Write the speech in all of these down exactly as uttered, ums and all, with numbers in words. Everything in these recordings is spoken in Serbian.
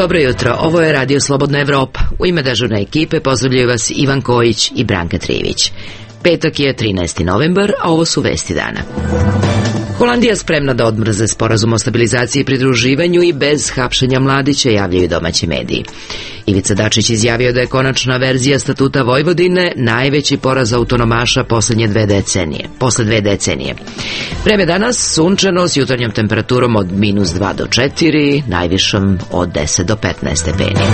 Dobro jutro, ovo je Radio Slobodna Evropa. U ime dežurne ekipe pozdravljaju vas Ivan Kojić i Branka Trivić. Petak je trinaesti novembar, a ovo su vesti dana. Holandija spremna da odmrze sporazum o stabilizaciji i pridruživanju i bez hapšenja Mladića, javljaju domaći mediji. Ivica Dačić izjavio da je konačna verzija statuta Vojvodine najveći poraz autonomaša poslednje dve decenije. Posle dve decenije. Vreme danas sunčano s jutarnjom temperaturom od minus dva do četiri, najvišom od deset do petnaest stepeni.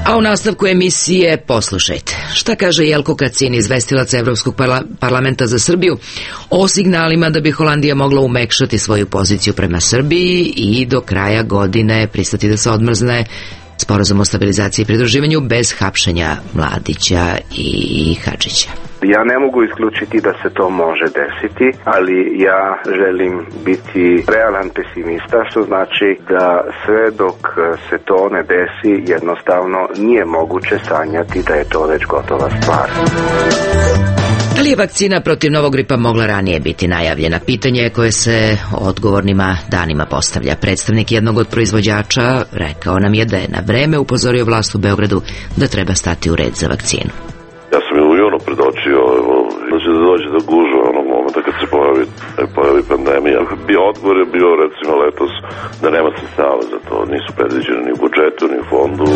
A u nastavku emisije poslušajte. Šta kaže Jelko Kacin, izvestilac Evropskog parla- parlamenta za Srbiju, o signalima da bi Holandija mogla umekšati svoju poziciju prema Srbiji i do kraja godine pristati da se odmrzne sporazum o stabilizaciji i pridruživanju bez hapšenja Mladića i Hadžića. Ja ne mogu isključiti da se to može desiti, ali ja želim biti realan pesimista, što znači da sve dok se to ne desi, jednostavno nije moguće sanjati da je to već gotova stvar. Da li je vakcina protiv novog gripa mogla ranije biti najavljena? Pitanje je koje se odgovornima danima postavlja. Predstavnik jednog od proizvođača rekao nam je da je na vreme upozorio vlast u Beogradu da treba stati u red za vakcinu. Ja sam je u junu predočio da će da dođe do gužva onog momenta kad se pojavi, pojavi pandemija. Bio odgovor je bio recimo letos da nema sredstava za to, nisu predviđeni ni u budžetu, ni u fondu.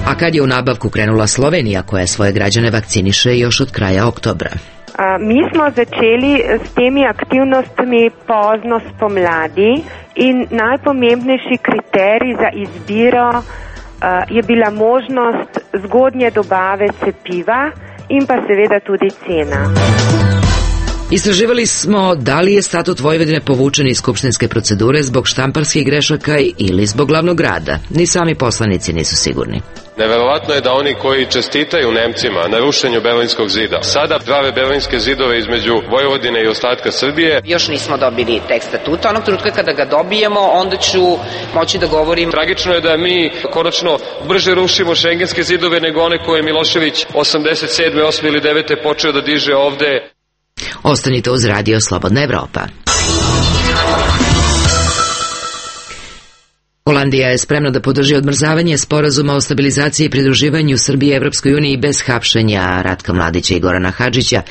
A kad je u nabavku krenula Slovenija, koja svoje građane vakciniše još od kraja oktobra? A, mi smo začeli s temi aktivnostmi pozno spomladi in najpomembnejši kriterij za izbiro je bila možnost zgodnje dobave cepiva in pa seveda tudi cena. Istraživali smo da li je statut Vojvodine povučen iz skupštinske procedure zbog štamparskih grešaka ili zbog glavnog grada. Ni sami poslanici nisu sigurni. Neverovatno je da oni koji čestitaju Nemcima na rušenju Berlinskog zida sada prave berlinske zidove između Vojvodine i ostatka Srbije. Još nismo dobili tekst statuta. Onog trenutka kada ga dobijemo, onda ću moći da govorim. Tragično je da mi konačno brže rušimo šengenske zidove nego one koje je Milošević osamdeset sedme, osme ili devete počeo da diže ovde. Ostanite uz Radio Slobodna Evropa. Holandija je spremna da podrži odmrzavanje sporazuma o stabilizaciji i pridruživanju Srbije Evropskoj uniji bez hapšenja Ratka Mladića i Gorana Hadžića,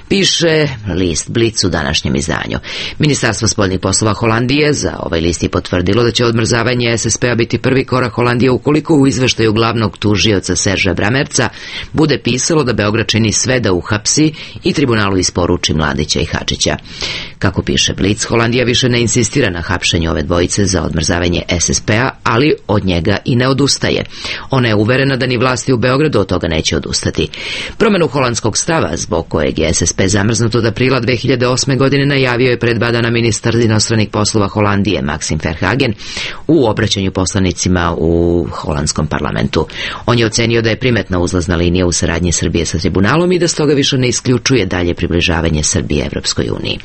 piše list Blic u današnjem izdanju. Ministarstvo spoljnih poslova Holandije za ovaj list je potvrdilo da će odmrzavanje es es pe-a biti prvi korak Holandije ukoliko u izveštaju glavnog tužioca Serža Bramerca bude pisalo da Beograd čini sve da uhapsi i tribunalu isporuči Mladića i Hadžića. Kako piše Blic, Holandija više ne insistira na hapšenju ove dvojice za odmrzavanje es es pe-a, ali od njega i ne odustaje. Ona je uverena da ni vlasti u Beogradu od toga neće odustati. Promenu holandskog stava, zbog kojeg je es es pe zamrznut od aprila dve hiljade osme. godine, najavio je pred dva dana ministar inostranih poslova Holandije Maxim Verhagen u obraćanju poslanicima u holandskom parlamentu. On je ocenio da je primetna uzlazna linija u saradnji Srbije sa tribunalom i da stoga više ne isključuje dalje približavanje Srbije Evropskoj uniji.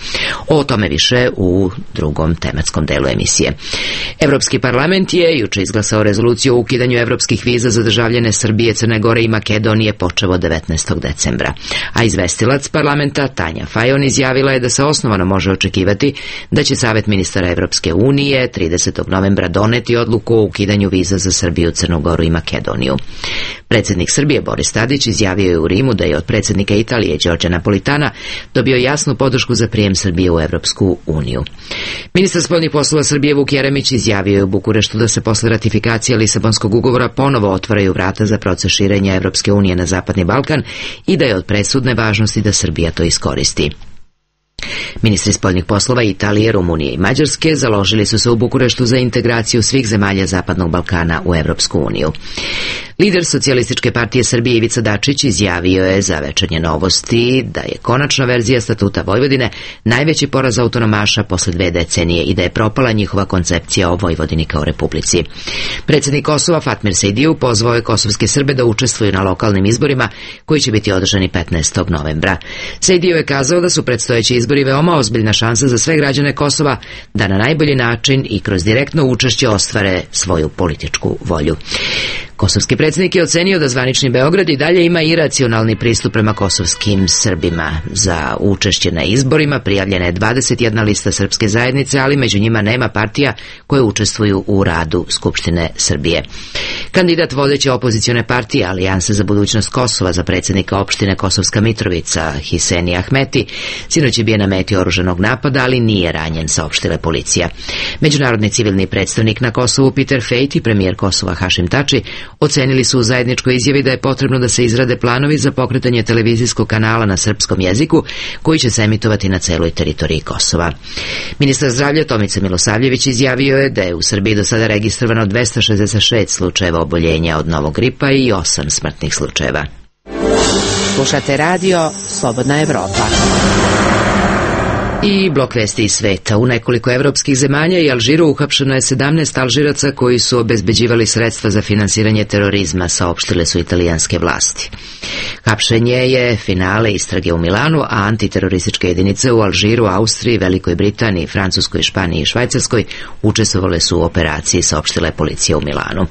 O tome više u drugom tematskom delu emisije. Evropski parlament je juče izglasao rezoluciju o ukidanju evropskih viza za državljane Srbije, Crne Gore i Makedonije počev od devetnaestog decembra. A izvestilac parlamenta Tanja Fajon izjavila je da se osnovano može očekivati da će Savet ministara Evropske unije tridesetog novembra doneti odluku o ukidanju viza za Srbiju, Crnu Goru i Makedoniju. Predsjednik Srbije Boris Tadić izjavio je u Rimu da je od predsjednika Italije Đorđa Napolitana dobio jasnu podršku za prijem Srbije u Evropsku uniju. Ministar spoljnih poslova Srbije Vuk Jeremić izjavio je u Bukureštu da se posle ratifikacije Lisabonskog ugovora ponovo otvaraju vrata za proces širenja Evropske unije na Zapadni Balkan i da je od presudne važnosti da Srbija to iskoristi. Ministri spoljnih poslova Italije, Rumunije i Mađarske založili su se u Bukureštu za integraciju svih zemalja Zapadnog Balkana u Evropsku uniju. Lider Socijalističke partije Srbije Ivica Dačić izjavio je za Večernje novosti da je konačna verzija statuta Vojvodine najveći poraz autonomaša posle dve decenije i da je propala njihova koncepcija o Vojvodini kao republici. Predsjednik Kosova Fatmir Sejdiju pozvao je kosovske Srbe da učestvuju na lokalnim izborima koji će biti održani petnaestog novembra. Sejdiju je kazao da su predstojeći izbori veoma ozbiljna šansa za sve građane Kosova da na najbolji način i kroz direktno učešće ostvare svoju političku volju. Kosovski predsjednik je ocenio da zvanični Beograd i dalje ima iracionalni pristup prema kosovskim Srbima. Za učešće na izborima prijavljena je dvadeset jedna lista srpske zajednice, ali među njima nema partija koje učestvuju u radu Skupštine Srbije. Kandidat vodeće opozicione partije Alijanse za budućnost Kosova za predsjednika opštine Kosovska Mitrovica, Hiseni Ahmeti, sinoć je bio na meti oružanog napada, ali nije ranjen, saopštila policija. Međunarodni civilni predstavnik na Kosovu Peter Fejt i premijer Kosova Hašim Tači ocenili su u zajedničkoj izjavi da je potrebno da se izrade planovi za pokretanje televizijskog kanala na srpskom jeziku koji će se emitovati na celoj teritoriji Kosova. Ministar zdravlja Tomica Milosavljević izjavio je da je u Srbiji do sada registrovano dvesta šezdeset šest slučajeva oboljenja od novog gripa i osam smrtnih slučajeva. Slušate radio Slobodna Evropa. I blok vesti iz sveta. U nekoliko evropskih zemalja i Alžiru uhapšeno je sedamnaest Alžiraca koji su obezbeđivali sredstva za finansiranje terorizma, saopštile su italijanske vlasti. Hapšenje je finale istrage u Milanu, a antiterorističke jedinice u Alžiru, Austriji, Velikoj Britaniji, Francuskoj, Španiji i Švajcarskoj učestvovale su u operaciji, saopštila je policija u Milanu.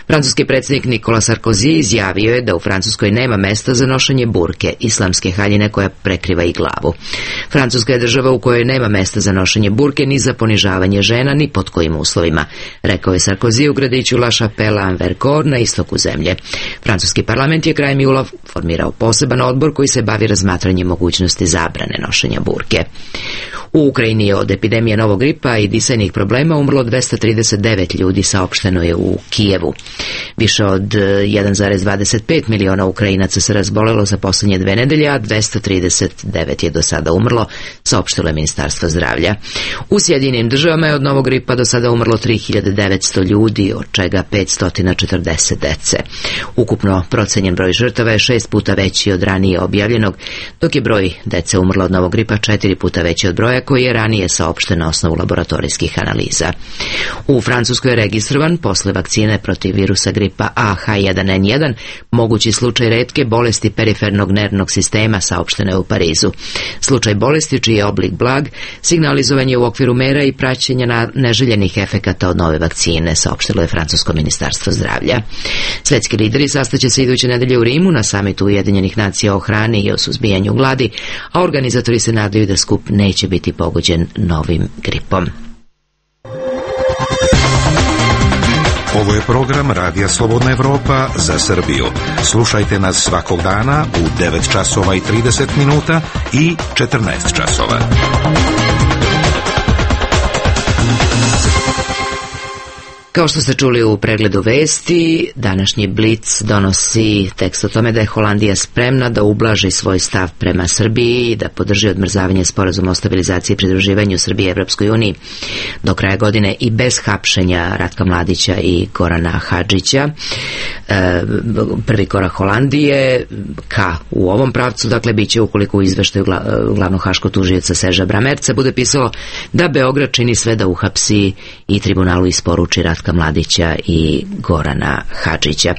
Francuski predsjednik Nikola Sarkozy izjavio je da u Francuskoj nema mesta za nošenje burke, islamske haljine koja prekriva i glavu. Francuska je država u kojoj nema mesta za nošenje burke ni za ponižavanje žena ni pod kojim uslovima, rekao je Sarkozy u gradiću La Chapelle-en-Vercors na istoku zemlje. Francuski parlament je krajem jula formirao poseban odbor koji se bavi razmatranjem mogućnosti zabrane nošenja burke. U Ukrajini je od epidemije novog gripa i disajnih problema umrlo dvesta trideset devet ljudi, saopšteno je u Kijevu. Više od jedan zarez dvadeset pet miliona Ukrajinaca se razbolelo za posljednje dve nedelje, a dvesta trideset devet je do sada umrlo, saopštilo je Ministarstvo zdravlja. U Sjedinjenim državama je od novog gripa do sada umrlo tri hiljade devetsto ljudi, od čega petsto četrdeset dece. Ukupno procenjen broj žrtava je šest puta veći od ranije objavljenog, dok je broj dece umrlo od novog gripa četiri puta veći od broja koji je ranije saopšten na osnovu laboratorijskih analiza. U Francuskoj je registrovan posle vakcine protiv virusa gripa A H jedan N jedan mogući slučaj retke bolesti perifernog nervnog sistema, saopšteno je u Parizu. Slučaj bolesti čiji je oblik blag signalizovan je u okviru mera i praćenja na neželjenih efekata od nove vakcine, saopštilo je francusko ministarstvo zdravlja. Svetski lideri sastaće se iduće nedelje u Rimu na samitu Ujedinjenih nacija o hrani i o suzbijanju gladi, a organizatori se nadaju da skup neće biti pogođen novim gripom. Ovo je program Radija Slobodna Evropa za Srbiju. Slušajte nas svakog dana u devet časova i trideset minuta i četrnaest časova. Kao što ste čuli u pregledu vesti, današnji Blic donosi tekst o tome da je Holandija spremna da ublaži svoj stav prema Srbiji i da podrži odmrzavanje sporazuma o stabilizaciji i pridruživanju Srbije Evropskoj uniji do kraja godine i bez hapšenja Ratka Mladića i Gorana Hadžića. E, prvi korak Holandije ka u ovom pravcu, dakle, bit će ukoliko u izveštaju glavnog haškog tužioca Serža Bramerca bude pisalo da Beograd čini sve da uhapsi i tribunalu isporuči Ratka Mladića i Gorana Hadžića.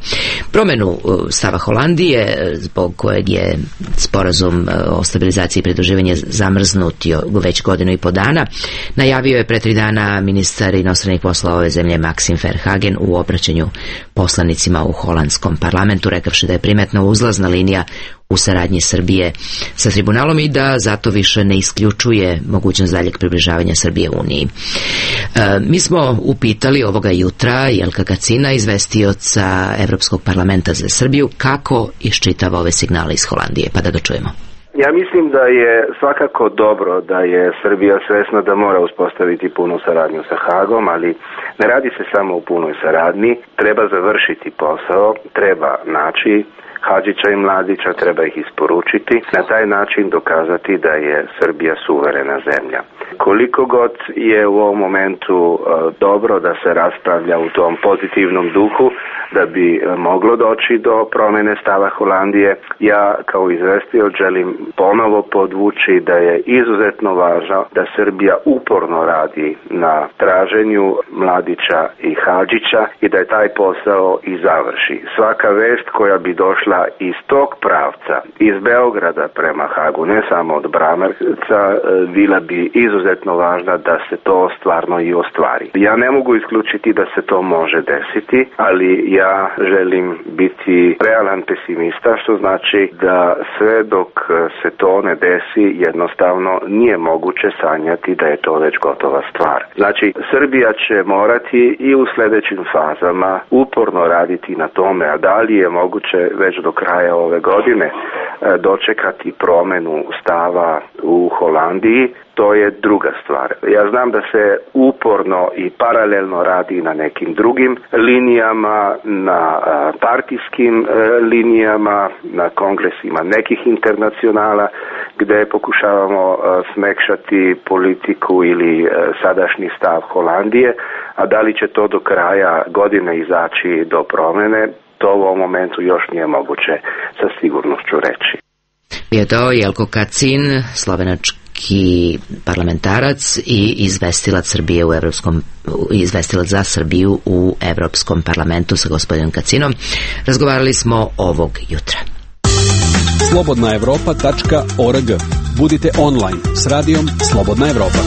Promenu stava Holandije, zbog kojeg je sporazum o stabilizaciji i pridruživanju zamrznut već godinu i po dana, najavio je pre tri dana ministar inostranih poslova ove zemlje Maxim Verhagen u obraćanju poslanicima u holandskom parlamentu, rekavši da je primetna uzlazna linija u saradnji Srbije sa tribunalom i da zato više ne isključuje mogućnost daljeg približavanja Srbije Uniji. E, mi smo upitali ovoga jutra Jelka Kacina, izvestioca Evropskog parlamenta za Srbiju, kako iščitava ove signale iz Holandije, pa da ga čujemo. Ja mislim da je svakako dobro da je Srbija svesna da mora uspostaviti punu saradnju sa Hagom, ali ne radi se samo o punoj saradnji, treba završiti posao, treba naći Hadžića i Mladića, treba ih isporučiti, na taj način dokazati da je Srbija suverena zemlja. Koliko god je u ovom momentu uh, dobro da se raspravlja u tom pozitivnom duhu, da bi uh, moglo doći do promjene stava Holandije, ja kao izvestio želim ponovo podvući da je izuzetno važno da Srbija uporno radi na traženju Mladića i Hadžića i da je taj posao i završi. Svaka vest koja bi došla iz tog pravca, iz Beograda prema Hagu, ne samo od Bramerca, bila bi izuzetno važna da se to stvarno i ostvari. Ja ne mogu isključiti da se to može desiti, ali ja ja želim biti realan pesimista, što znači da sve dok se to ne desi, jednostavno nije moguće sanjati da je to već gotova stvar. Znači, Srbija će morati i u sljedećim fazama uporno raditi na tome, a da li je moguće već do kraja ove godine dočekati promjenu stava u Holandiji, to je druga stvar. Ja znam da se uporno i paralelno radi na nekim drugim linijama, na partijskim linijama, na kongresima nekih internacionala, gdje pokušavamo smekšati politiku ili sadašnji stav Holandije, a da li će to do kraja godine izaći do promjene, to u ovom momentu još nije moguće sa sigurnošću reći. Je to Jelko Kacin, slovenački parlamentarac i izvestilac Srbije u Evropskom, izvestilac za Srbiju u Evropskom parlamentu sa gospodinom Kacinom. Razgovarali smo ovog jutra. slobodna evropa tačka org. Budite online s radijom Slobodna Evropa.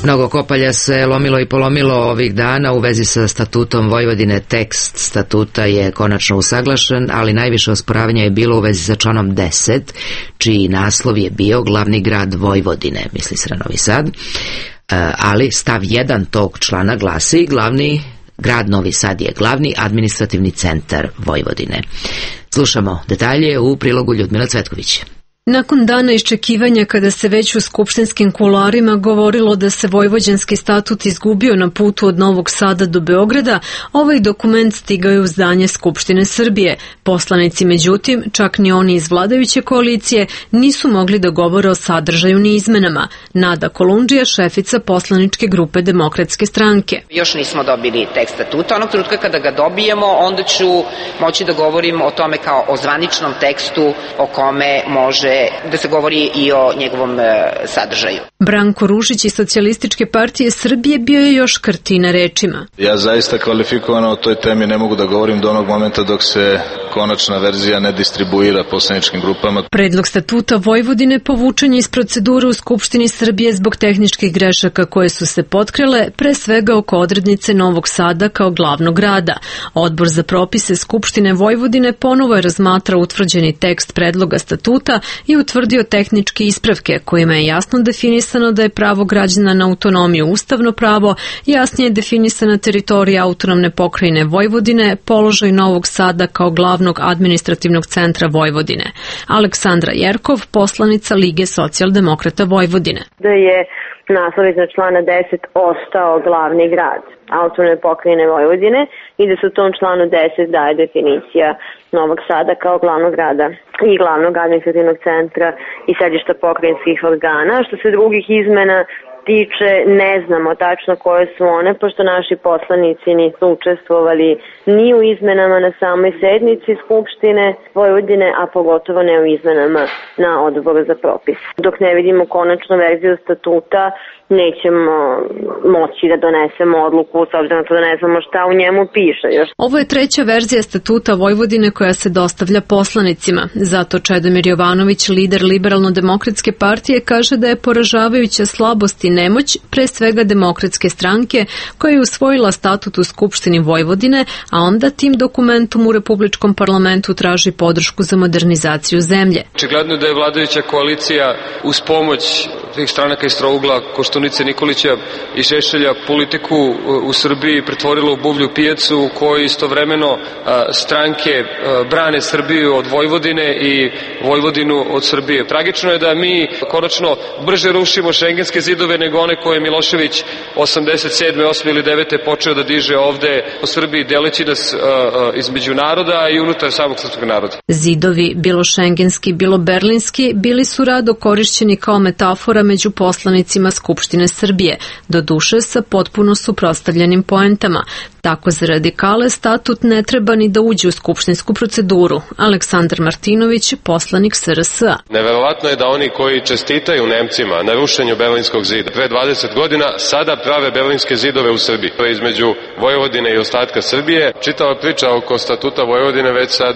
Mnogo kopalja se lomilo i polomilo ovih dana u vezi sa statutom Vojvodine. Tekst statuta je konačno usaglašen, ali najviše osporavanja je bilo u vezi sa članom deset, čiji naslov je bio glavni grad Vojvodine, misli se na Novi Sad, ali stav jedan tog člana glasi glavni grad Novi Sad je glavni administrativni centar Vojvodine. Slušamo detalje u prilogu Ljudmila Cvetković. Nakon dana iščekivanja kada se već u skupštinskim kuloarima govorilo da se vojvođanski statut izgubio na putu od Novog Sada do Beograda, ovaj dokument stigao je u zdanje Skupštine Srbije. Poslanici, međutim, čak ni oni iz vladajuće koalicije, nisu mogli da govore o sadržaju ni izmenama. Nada Kolundžija, šefica poslaničke grupe Demokratske stranke. Još nismo dobili tekst statuta. Onog trenutka kada ga dobijemo, onda ću moći da govorim o tome kao o zvaničnom tekstu o kome može da se govori i o njegovom sadržaju. Branko Ružić iz Socijalističke partije Srbije bio je još krti na rečima. Ja zaista kvalifikovano o toj temi ne mogu da govorim do onog momenta dok se konačna verzija ne distribuira poslaničkim grupama. Predlog statuta Vojvodine povučen je iz procedure u Skupštini Srbije zbog tehničkih grešaka koje su se potkrele, pre svega oko odrednice Novog Sada kao glavnog grada. Odbor za propise Skupštine Vojvodine ponovo je razmatrao utvrđeni tekst predloga statuta i utvrdio tehničke ispravke kojima je jasno definisano da je pravo građana na autonomiju ustavno pravo, jasnije je definisana teritorija autonomne pokrajine Vojvodine, položaj Novog Sada kao glavnog administrativnog centra Vojvodine. Aleksandra Jerkov, poslanica Lige socijaldemokrata Vojvodine. Da je naslov iznad člana deset ostao glavni grad autonomne pokrajine Vojvodine i da se u tom članu deset daje definicija Novog Sada kao glavnog grada i glavnog administrativnog centra i sedišta pokrajinskih organa. Što se drugih izmena tiče, ne znamo tačno koje su one, pošto naši poslanici nisu učestvovali ni u izmenama na samoj sednici Skupštine Vojvodine, a pogotovo ne u izmenama na odboru za propis. Dok ne vidimo konačnu verziju statuta, nećemo moći da donesemo odluku, s obzirom da ne znamo šta u njemu piše još. Ovo je treća verzija statuta Vojvodine koja se dostavlja poslanicima. Zato Čedomir Jovanović, lider Liberalno-demokratske partije, kaže da je poražavajuća slabost i nemoć pre svega Demokratske stranke koja je usvojila statut u Skupštini Vojvodine, a onda tim dokumentom u Republičkom parlamentu traži podršku za modernizaciju zemlje. Očigledno da je vladajuća koalicija uz pomoć tih stranaka iz trougla Koštunice, Nikolića i Šešelja politiku u Srbiji pretvorila u buvlju pijacu u kojoj istovremeno stranke brane Srbiju od Vojvodine i Vojvodinu od Srbije. Tragično je da mi konačno brže rušimo šengenske zidove nego one koje je Milošević osamdeset sedme, osme ili devete počeo da diže ovde u Srbiji, deleći nas između naroda i unutar samog srpskog naroda. Zidovi, bilo šengenski, bilo berlinski, bili su rado korišćeni kao metafora među poslanicima Skupštine Srbije, doduše sa potpuno suprotstavljenim poentama. Tako za radikale statut ne treba ni da uđe u skupštinsku proceduru. Aleksandar Martinović, poslanik S R S A. Neverovatno je da oni koji čestitaju Nemcima na rušenju Berlinskog zida pre dvadeset godina sada prave berlinske zidove u Srbiji. To je između Vojvodine i ostatka Srbije. Čitava priča oko statuta Vojvodine već sad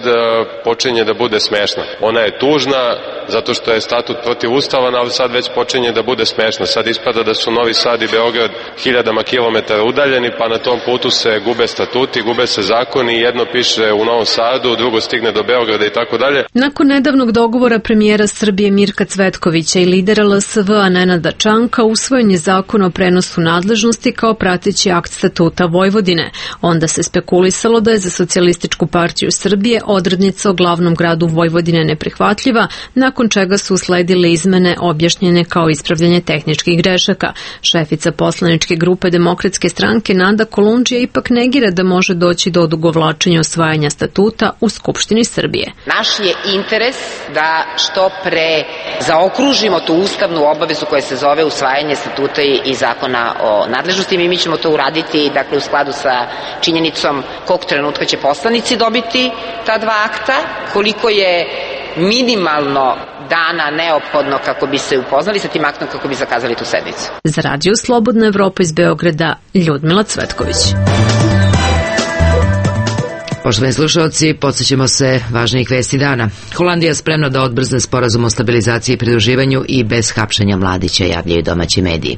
počinje da bude smešna. Ona je tužna zato što je statut protivustavan, ali sad već počinje da bude smešna. Sad ispada da su Novi Sad i Beograd hiljadama kilometara udaljeni, pa na tom putu se gube statuti, gube se zakoni, jedno piše u Novom Sadu, drugo stigne do Beograda i tako dalje. Nakon nedavnog dogovora premijera Srbije Mirka Cvetkovića i lidera L S V-a Nenada Čanka usvojen je zakon o prenosu nadležnosti kao prateći akt statuta Vojvodine. Onda se spekulisalo da je za Socijalističku partiju Srbije odrednica o glavnom gradu Vojvodine neprihvatljiva, nakon čega su usledile izmene objašnjene kao ispravljanje tehničkih grešaka. Šefica poslaničke grupe Demokratske stranke Nada Kolundžija ipak negira da može doći do odugovlačenja osvajanja statuta u Skupštini Srbije. Naš je interes da što pre zaokružimo tu ustavnu obavezu koja se zove usvajanje statuta i zakona o nadležnosti. Mi, mi ćemo to uraditi, dakle, u skladu sa činjenicom kog trenutka će poslanici dobiti ta dva akta, koliko je minimalno dana neophodno kako bi se upoznali sa tim aktom, kako bi zakazali tu sednicu. Za Radio Slobodna Evropa iz Beograda, Ljudmila Cvetković. Poštovani slušalci, podsjećamo se važnijih vesti dana. Holandija je spremna da odbrzne sporazum o stabilizaciji i pridruživanju i bez hapšenja Mladića, javljaju domaći mediji.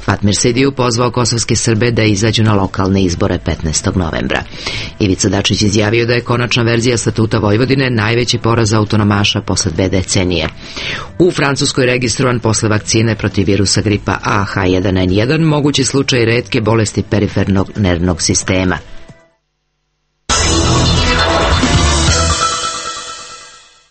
Fatmir Sidiju pozvao kosovske Srbe da izađu na lokalne izbore petnaestog novembra. Ivica Dačić izjavio da je konačna verzija statuta Vojvodine najveći poraz autonomaša posle dve decenije. U Francuskoj registrovan posle vakcine protiv virusa gripa A H jedan N jedan mogući slučaj retke bolesti perifernog nervnog sistema.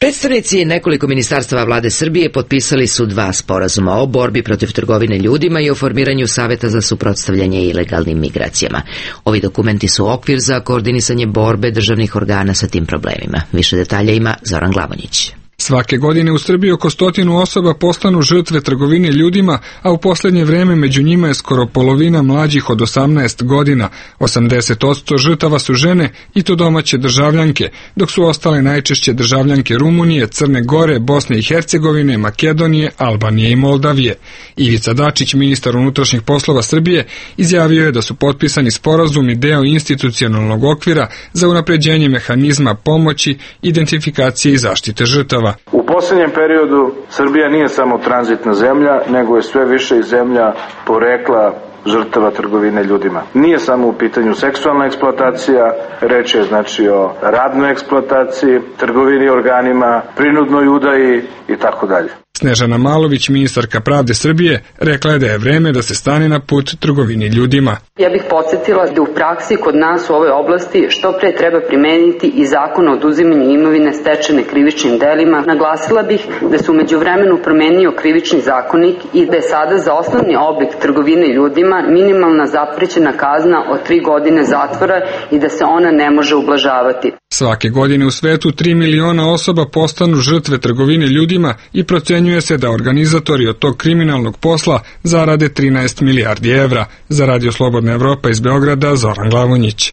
Predstavnici nekoliko ministarstava vlade Srbije potpisali su dva sporazuma o borbi protiv trgovine ljudima i o formiranju saveta za suprotstavljanje ilegalnim migracijama. Ovi dokumenti su okvir za koordinisanje borbe državnih organa sa tim problemima. Više detalja ima Zoran Glavonjić. Svake godine u Srbiji oko stotinu osoba postanu žrtve trgovine ljudima, a u posljednje vreme među njima je skoro polovina mlađih od osamnaest godina. osamdeset posto žrtava su žene i to domaće državljanke, dok su ostale najčešće državljanke Rumunije, Crne Gore, Bosne i Hercegovine, Makedonije, Albanije i Moldavije. Ivica Dačić, ministar unutrašnjih poslova Srbije, izjavio je da su potpisani sporazumi deo institucionalnog okvira za unapređenje mehanizma pomoći, identifikacije i zaštite žrtava. U posljednjem periodu Srbija nije samo tranzitna zemlja, nego je sve više i zemlja porekla žrtava trgovine ljudima. Nije samo u pitanju seksualna eksploatacija, reč je znači o radnoj eksploataciji, trgovini organima, prinudnoj udaji i tako dalje. Snežana Malović, ministarka pravde Srbije, rekla je da je vreme da se stane na put trgovini ljudima. Ja bih podsjetila da u praksi kod nas u ovoj oblasti što pre treba primeniti i zakon o oduzimanju imovine stečene krivičnim delima. Naglasila bih da se u međuvremenu promenio krivični zakonik i da je sada za osnovni oblik trgovine ljudima minimalna zaprećena kazna od tri godine zatvora i da se ona ne može ublažavati. Svake godine u svetu tri miliona osoba postanu žrtve trgovine ljudima i procenjuje se da organizatori od tog kriminalnog posla zarade trinaest milijardi evra. Za Radio Slobodna Evropa iz Beograda, Zoran Glavonjić.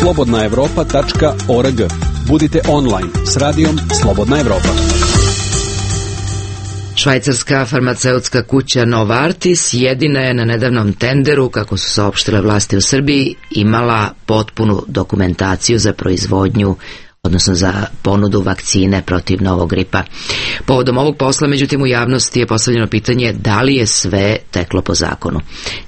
slobodna evropa tačka org. Budite online s radijom Slobodna Evropa. Švajcarska farmaceutska kuća Novartis jedina je na nedavnom tenderu, kako su saopštile vlasti u Srbiji, imala potpunu dokumentaciju za proizvodnju, odnosno za ponudu vakcine protiv novog gripa. Povodom ovog posla, međutim, u javnosti je postavljeno pitanje da li je sve teklo po zakonu.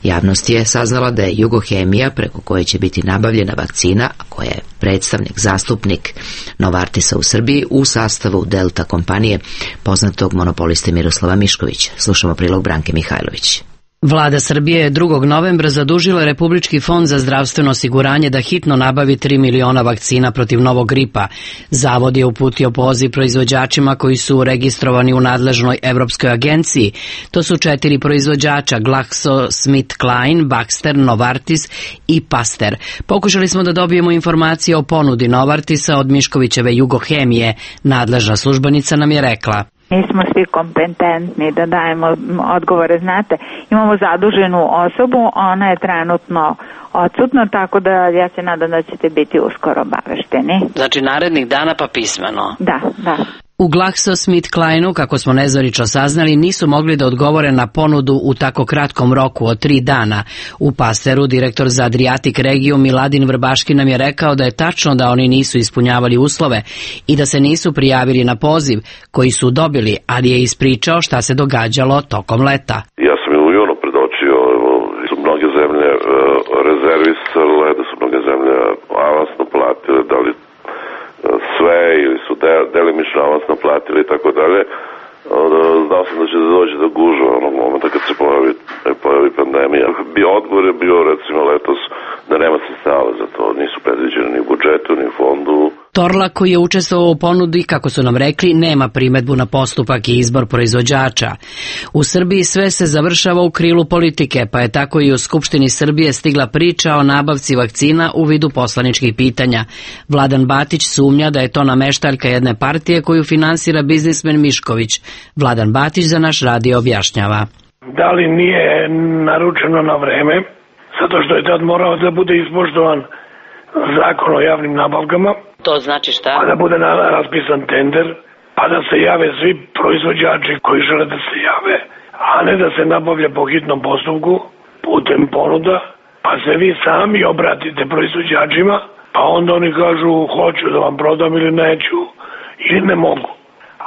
Javnost je saznala da je Jugohemija, preko koje će biti nabavljena vakcina, a koja je predstavnik, zastupnik Novartisa u Srbiji, u sastavu Delta kompanije, poznatog monopoliste Miroslava Miškovića. Slušamo prilog Branke Mihajlović. Vlada Srbije je drugog novembra zadužila Republički fond za zdravstveno osiguranje da hitno nabavi tri miliona vakcina protiv novog gripa. Zavod je uputio poziv proizvođačima koji su registrovani u nadležnoj Evropskoj agenciji. To su četiri proizvođača: GlaxoSmithKline, Baxter, Novartis i Pasteur. Pokušali smo da dobijemo informacije o ponudi Novartisa od Miškovićeve Jugohemije. Nadležna službenica nam je rekla: Mi smo svi kompetentni da dajemo odgovore. Znate, imamo zaduženu osobu, ona je trenutno odsutna, tako da ja se nadam da ćete biti uskoro obavešteni. Znači narednih dana pa pismeno? Da, da. U GlaxoSmithKlineu, kako smo nezvanično saznali, nisu mogli da odgovore na ponudu u tako kratkom roku od tri dana. U Pasteuru direktor za Adriatic regiju Miladin Vrbaški nam je rekao da je tačno da oni nisu ispunjavali uslove i da se nisu prijavili na poziv koji su dobili, ali je ispričao šta se događalo tokom leta. Ja sam u junu zemlje rezervisale, da su mnoge zemlje avansno platile, da li sve ili su delimično avansno platili i tako dalje. Znao sam da će da dođe do gužva onog momenta kad se pojavi, pojavi pandemija. Odgovor je bio recimo letos da nema sredstava za to, nisu predviđeni ni u budžetu, ni u fondu. Torlak, koji je učestvovao u ponudi, kako su nam rekli, nema primedbu na postupak i izbor proizvođača. U Srbiji sve se završava u krilu politike, pa je tako i u Skupštini Srbije stigla priča o nabavci vakcina u vidu poslaničkih pitanja. Vladan Batić sumnja da je to nameštaljka jedne partije koju finansira biznismen Mišković. Vladan Batić za naš radio objašnjava. Da li nije naručeno na vreme, zato što je tad morao da bude ispoštovan zakon o javnim nabavkama. To znači šta? Pa da bude raspisan tender, pa da se jave svi proizvođači koji žele da se jave, a ne da se nabavlja po hitnom postupku putem ponuda, pa se vi sami obratite proizvođačima, pa onda oni kažu hoću da vam prodam ili neću, ili ne mogu.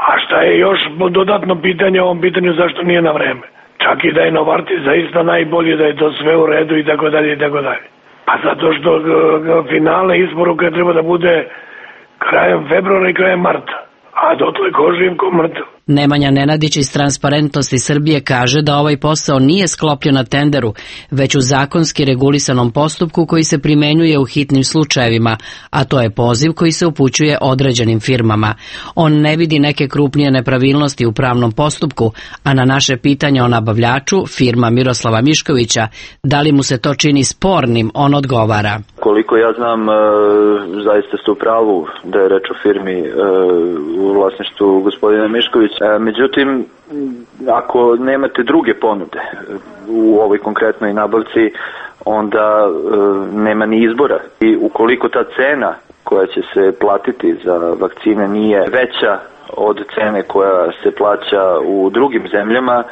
A šta je još dodatno pitanje o ovom pitanju, zašto nije na vreme? Čak i da je Novartis zaista najbolje, da je to sve u redu i tako dalje i tako dalje. Pa zato što finale isporuke treba da bude krajem februara i krajem marta, a dotle ko živ, ko mrtav. Nemanja Nenadić iz Transparentnosti Srbije kaže da ovaj posao nije sklopljen na tenderu, već u zakonski regulisanom postupku koji se primenjuje u hitnim slučajevima, a to je poziv koji se upućuje određenim firmama. On ne vidi neke krupnije nepravilnosti u pravnom postupku, a na naše pitanje o nabavljaču, firma Miroslava Miškovića, da li mu se to čini spornim, on odgovara. Koliko ja znam, zaista ste u pravu da je reč o firmi u vlasništvu gospodina Miškovića. Međutim, ako nemate druge ponude u ovoj konkretnoj nabavci, onda nema ni izbora. I ukoliko ta cena koja će se platiti za vakcine nije veća od cene koja se plaća u drugim zemljama,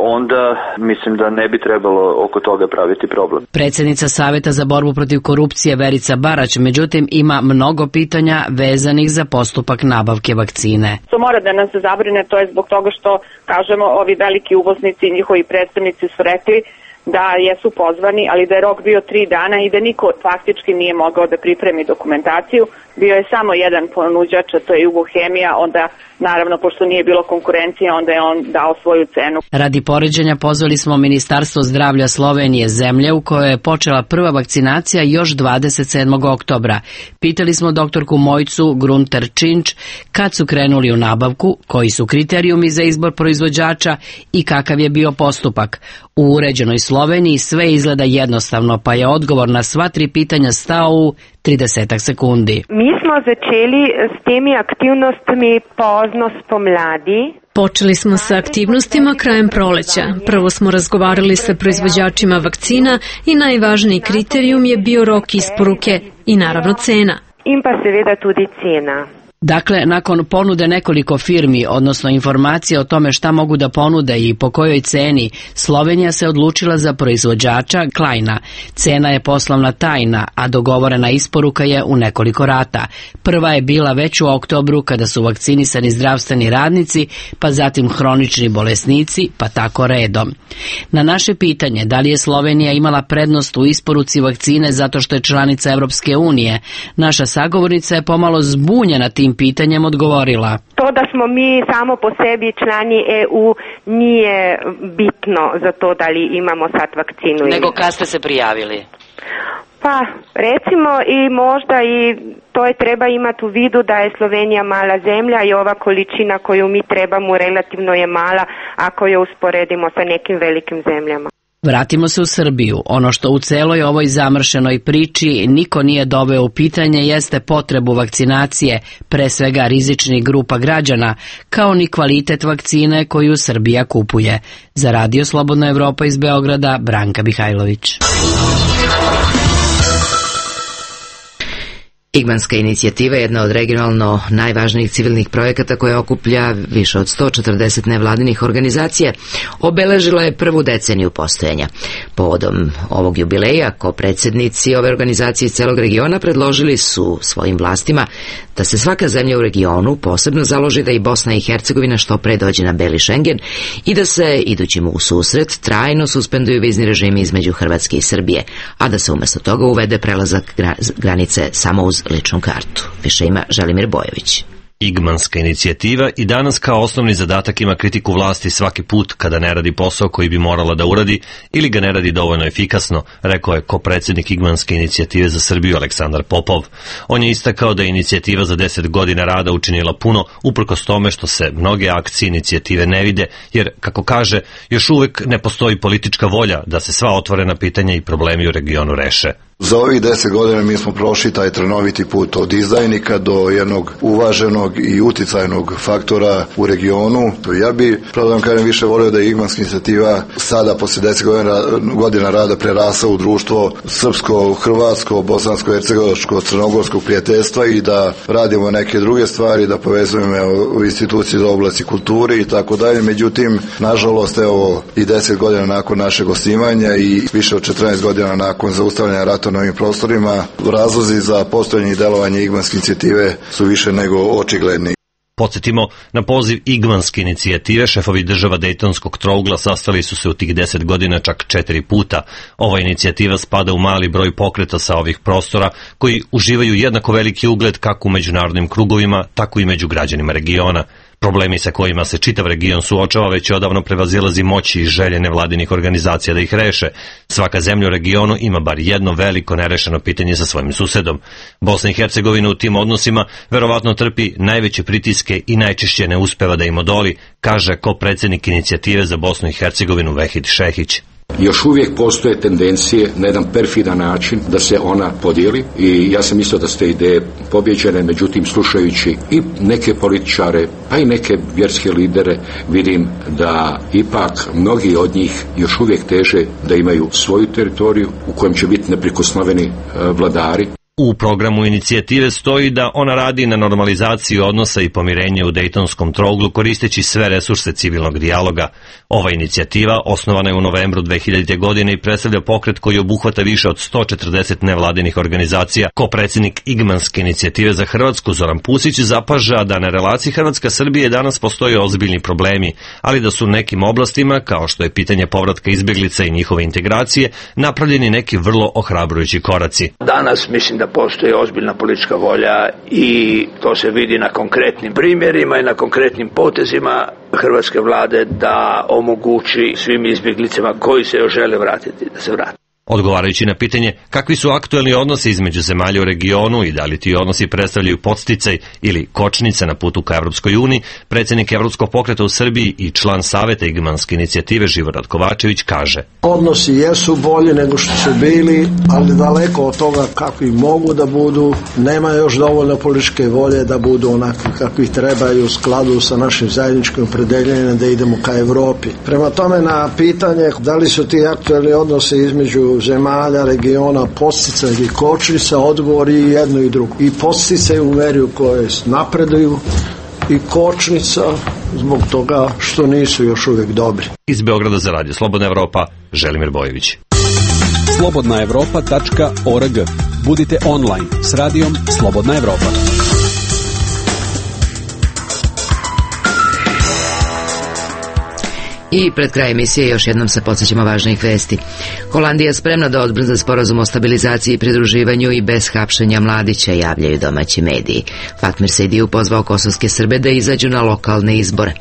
onda mislim da ne bi trebalo oko toga praviti problem. Predsjednica Saveta za borbu protiv korupcije Verica Barać, međutim, ima mnogo pitanja vezanih za postupak nabavke vakcine. To mora da nas zabrine, to je zbog toga što, kažemo, ovi veliki uvoznici i njihovi predstavnici su rekli da jesu pozvani, ali da je rok bio tri dana i da niko faktički nije mogao da pripremi dokumentaciju. Bio je samo jedan ponuđač, a to je Jugohemija, onda naravno, pošto nije bilo konkurencije, onda je on dao svoju cenu. Radi poređenja pozvali smo Ministarstvo zdravlja Slovenije, zemlje u kojoj je počela prva vakcinacija još dvadeset sedmog oktobra. Pitali smo doktorku Mojcu Grunter Činč kad su krenuli u nabavku, koji su kriterijumi za izbor proizvođača i kakav je bio postupak. U uređenoj Sloveniji sve izgleda jednostavno, pa je odgovor na sva tri pitanja stao u tridesetak sekundi. Mi smo začeli s temi aktivnostmi pozno spomladi. Počeli smo sa aktivnostima krajem proleća. Prvo smo razgovarali sa proizvođačima vakcina i najvažniji kriterijum je bio rok isporuke i naravno cena. In pa seveda tudi cena. Dakle, nakon ponude nekoliko firmi, odnosno informacije o tome šta mogu da ponude i po kojoj ceni, Slovenija se odlučila za proizvođača Kleina. Cena je poslovna tajna, a dogovorena isporuka je u nekoliko rata. Prva je bila već u oktobru kada su vakcinisani zdravstveni radnici, pa zatim hronični bolesnici, pa tako redom. Na naše pitanje da li je Slovenija imala prednost u isporuci vakcine zato što je članica Evropske unije, naša sagovornica je pomalo zbunjena tim pitanjem odgovorila. To da smo mi samo po sebi člani E U nije bitno za to da li imamo sad vakcinu. Nego kad ste se prijavili? Pa recimo i možda i to je treba imati u vidu da je Slovenija mala zemlja i ova količina koju mi trebamo relativno je mala ako je usporedimo sa nekim velikim zemljama. Vratimo se u Srbiju. Ono što u celoj ovoj zamršenoj priči niko nije doveo u pitanje jeste potrebu vakcinacije, pre svega rizičnih grupa građana, kao ni kvalitet vakcine koju Srbija kupuje. Za Radio Slobodna Evropa iz Beograda, Branka Mihajlović. Igmanska inicijativa je jedna od regionalno najvažnijih civilnih projekata koja okuplja više od sto četrdeset nevladinih organizacija. Obeležila je prvu deceniju postojanja. Povodom ovog jubileja, kopredsjednici ove organizacije iz celog regiona predložili su svojim vlastima da se svaka zemlja u regionu posebno založi da i Bosna i Hercegovina što pre dođe na beli Šengen i da se, idući mu u susret, trajno suspenduju vizni režimi između Hrvatske i Srbije, a da se umjesto toga uvede prelazak granice samo uz ličnu kartu. Više ima Želimir Bojović. Igmanska inicijativa i danas kao osnovni zadatak ima kritiku vlasti svaki put kada ne radi posao koji bi morala da uradi ili ga ne radi dovoljno efikasno, rekao je kopredsjednik Igmanske inicijative za Srbiju Aleksandar Popov. On je istakao da je inicijativa za deset godina rada učinila puno, uprkos tome što se mnoge akcije inicijative ne vide, jer, kako kaže, još uvek ne postoji politička volja da se sva otvorena pitanja i problemi u regionu reše. Za ovih deset godina mi smo prošli taj trnoviti put od izdajnika do jednog uvaženog i uticajnog faktora u regionu. Ja bi, pravo da vam kažem, više volio da je Igmanska inicijativa sada posle deset godina, godina rada prerasla u društvo srpsko, hrvatsko, bosansko, hercegovačko, crnogorskog prijateljstva i da radimo neke druge stvari, da povezujemo u instituciji za oblasti kulture i tako dalje. Međutim, nažalost, evo i deset godina nakon našeg osnivanja i više od četrnaest godina nakon zaustavljanja rata na ovim prostorima, razlozi za postojanje i delovanje Igmanske inicijative su više nego očigledni. Podsjetimo, na poziv Igmanske inicijative šefovi država Dejtonskog trougla sastali su se u tih deset godina čak četiri puta. Ova inicijativa spada u mali broj pokreta sa ovih prostora koji uživaju jednako veliki ugled kako u međunarodnim krugovima, tako i među građanima regiona. Problemi sa kojima se čitav region suočava već odavno prevazilazi moći i želje nevladinih organizacija da ih reše. Svaka zemlja u regionu ima bar jedno veliko nerešeno pitanje sa svojim susedom. Bosna i Hercegovina u tim odnosima verovatno trpi najveće pritiske i najčešće ne uspeva da im odoli, kaže kopredsjednik inicijative za Bosnu i Hercegovinu Vehid Šehić. Još uvijek postoje tendencije na jedan perfidan način da se ona podijeli i ja sam mislio da ste ideje pobjeđene, međutim slušajući i neke političare pa i neke vjerske lidere vidim da ipak mnogi od njih još uvijek teže da imaju svoju teritoriju u kojem će biti neprikosnoveni vladari. U programu inicijative stoji da ona radi na normalizaciji odnosa i pomirenju u Dejtonskom trouglu koristeći sve resurse civilnog dijaloga. Ova inicijativa osnovana je u novembru dve hiljadite. godine i predstavlja pokret koji obuhvata više od sto četrdeset nevladinih organizacija. Kopredsjednik Igmanske inicijative za Hrvatsku Zoran Pusić zapaža da na relaciji Hrvatska-Srbije danas postoje ozbiljni problemi, ali da su u nekim oblastima, kao što je pitanje povratka izbjeglica i njihove integracije, napravljeni neki vrlo ohrabrujući koraci. Danas mislim da postoji ozbiljna politička volja i to se vidi na konkretnim primjerima i na konkretnim potezima hrvatske vlade da omogući svim izbjeglicama koji se još žele vratiti da se vrate. Odgovarajući na pitanje kakvi su aktuelni odnosi između zemalja u regionu i da li ti odnosi predstavljaju podsticaj ili kočnice na putu ka Evropskoj uniji, predsjednik Evropskog pokreta u Srbiji i član Saveta Igmanske inicijative Živorad Kovačević kaže: Odnosi jesu bolji nego što su bili, ali daleko od toga kakvi mogu da budu, nema još dovoljno političke volje da budu onakvi kakvi trebaju u skladu sa našim zajedničkim opredeljenjem da idemo ka Evropi. Prema tome, na pitanje da li su ti aktuelni odnosi između zemalja, regiona, podsticaj i kočnica, odgovor i jedno i drugo. I podsticaj u meri u kojoj napreduju i kočnica zbog toga što nisu još uvijek dobri. Iz Beograda za Radio Slobodna Evropa, Želimir Bojović. slobodna evropa tačka org. Budite online s radijom Slobodna Evropa. I pred kraj emisije još jednom se podsjećamo važnih vesti. Holandija je spremna da odbrza sporazum o stabilizaciji i pridruživanju i bez hapšenja Mladića, javljaju domaći mediji. Fatmir Sejdiju pozvao kosovske Srbe da izađu na lokalne izbore.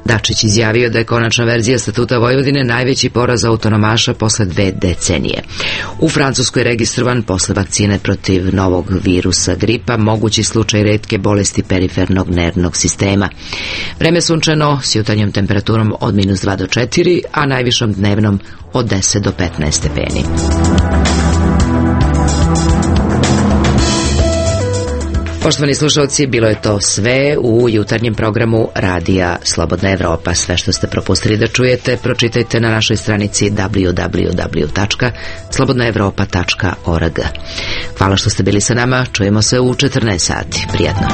Dačić izjavio da je konačna verzija Statuta Vojvodine najveći poraz autonomaša posle dve decenije. U Francuskoj registrovan posle vakcine protiv novog virusa gripa mogući slučaj retke bolesti perifernog nervnog sistema. Vreme sunčano s jutarnjom temperaturom od minus dva do četiri, a najvišom dnevnom od deset do petnaest stepeni. Poštovani slušalci, bilo je to sve u jutarnjem programu Radija Slobodna Evropa. Sve što ste propustili da čujete, pročitajte na našoj stranici w w w tačka slobodna evropa tačka org. Hvala što ste bili sa nama, čujemo se u četrnaest sati. Prijatno.